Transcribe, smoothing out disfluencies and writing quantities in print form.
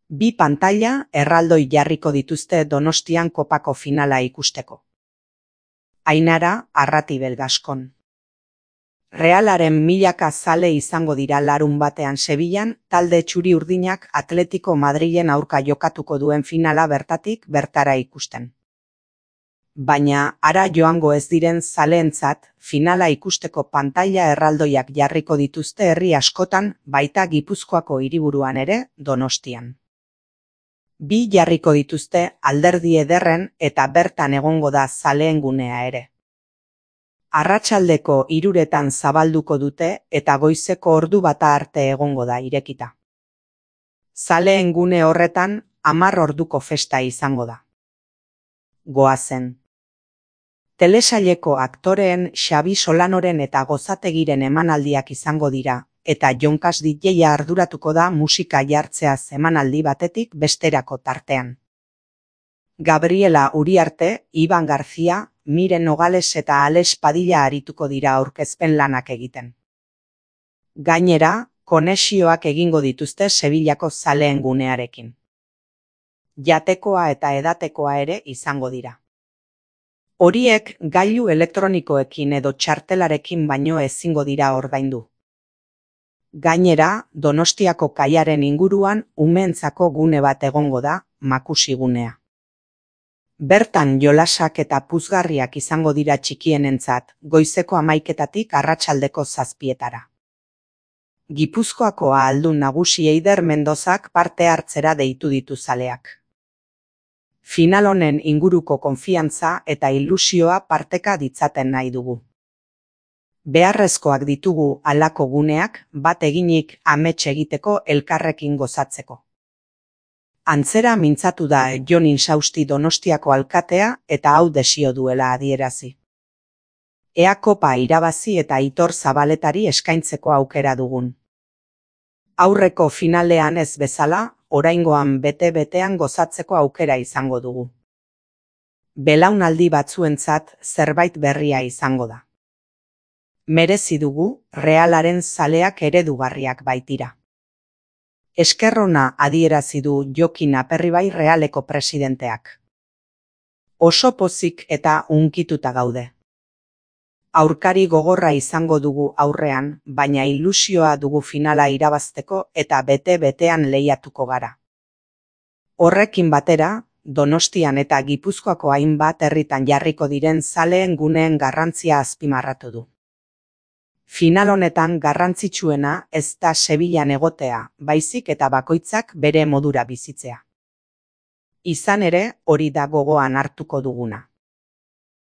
Bi pantaila erraldoi jarriko dituzte Donostian kopako finala ikusteko. Ainara Arratibel Gaskon. Realaren milaka zale izango dira larunbatean Sevillan talde txuri-urdinak Atletico Madrilen aurka jokatuko duen finala bertatik bertara ikusten. Baina hara joango ez diren zaleentzat finala ikusteko pantaila erraldoiak jarriko dituzte herri askotan, baita Gipuzkoako hiriburuan ere, Donostian. Bi jarriko dituzte Alderdi Ederren eta bertan egongo da zaleen gunea ere. Arratsaldeko 3:00 zabalduko dute eta goizeko 1:00 arte egongo da irekita. Zaleen gune horretan 10 orduko festa izango da. Goazen. Telesaileko aktoreen Xabi Solanoren eta Gozategiren emanaldiak izango dira, eta Jonkas DJ-a arduratuko da musika jartzeaz emanaldi batetik besterako tartean. Gabriela Uriarte, Iban Garzia, Miren Nogales eta Alex Padilla arituko dira aurkezpen lanak egiten. Gainera, konexioak egingo dituzte Sevillako zaleen gunearekin. Jatekoa eta edatekoa ere izango dira. Horiek gailu elektronikoekin edo txartelarekin baino ezingo dira ordaindu. Gainera, Donostiako kaiaren inguruan umeentzako gune bat egongo da, Makusi gunea. Bertan jolasak eta puzgarriak izango dira txikienentzat, goizeko 11:00 arratsaldeko 7:00. Gipuzkoako ahaldun nagusi Eider Mendozak parte hartzera deitu ditu zaleak. Final honen inguruko konfiantza eta ilusioa parteka ditzaten nahi dugu. Beharrezkoak ditugu halako guneak bat eginik amets egiteko elkarrekin gozatzeko. Antzera mintzatu da Jon Insausti Donostiako alkatea eta hau desio duela adierazi. Ea kopa irabazi eta Aitor Zabaletari eskaintzeko aukera dugun. Aurreko finalean ez bezala, oraingoan bete-betean gozatzeko aukera izango dugu. Belaunaldi batzuentzat zerbait berria izango da. Merezi dugu, Realaren zaleak eredugarriak baitira. Eskerrona adierazi du Jokin Aperribai Realeko presidenteak. Oso pozik eta hunkituta gaude. Aurkari gogorra izango dugu aurrean, baina ilusioa dugu finala irabazteko eta bete-betean lehiatuko gara. Horrekin batera, Donostian eta Gipuzkoako hainbat herritan jarriko diren zaleen guneen garrantzia azpimarratu du. Final honetan garrantzitsuena ez da Sevillan egotea, baizik eta bakoitzak bere modura bizitzea. Izan ere, hori da gogoan hartuko duguna.